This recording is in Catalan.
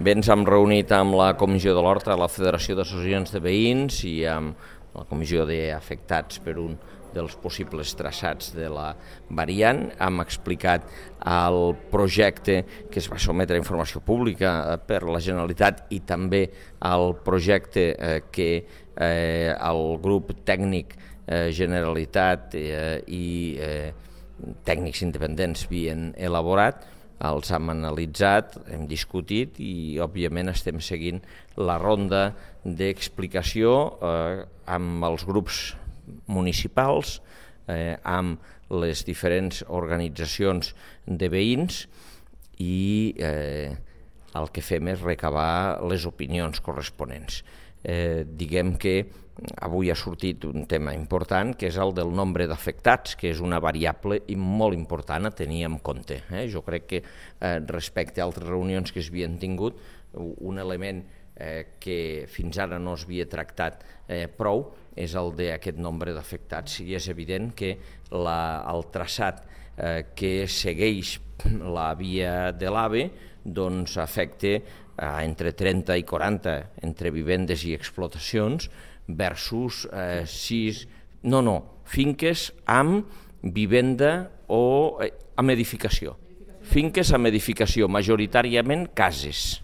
Bé, ens hem reunit amb la Comissió de l'Horta, la Federació d'Associacions de Veïns i amb la Comissió d'Afectats per un dels possibles traçats de la variant. Hem explicat el projecte que es va sotmetre a informació pública per la Generalitat i també el projecte que el grup tècnic Generalitat i tècnics independents havien elaborat. Els hem analitzat, hem discutit i, òbviament, estem seguint la ronda d'explicació amb els grups municipals, amb les diferents organitzacions de veïns i el que fem és recabar les opinions corresponents. Diguem que avui ha sortit un tema important, que és el del nombre d'afectats, que és una variable molt important a tenir en compte. Jo crec que respecte a altres reunions que s'havien tingut, un element que fins ara no s'havia tractat prou és el d'aquest nombre d'afectats. I és evident que el traçat que segueix la via de l'AVE doncs afecta entre 30 i 40 entre vivendes i explotacions versus finques amb vivenda o amb edificació. Finques amb edificació, majoritàriament cases.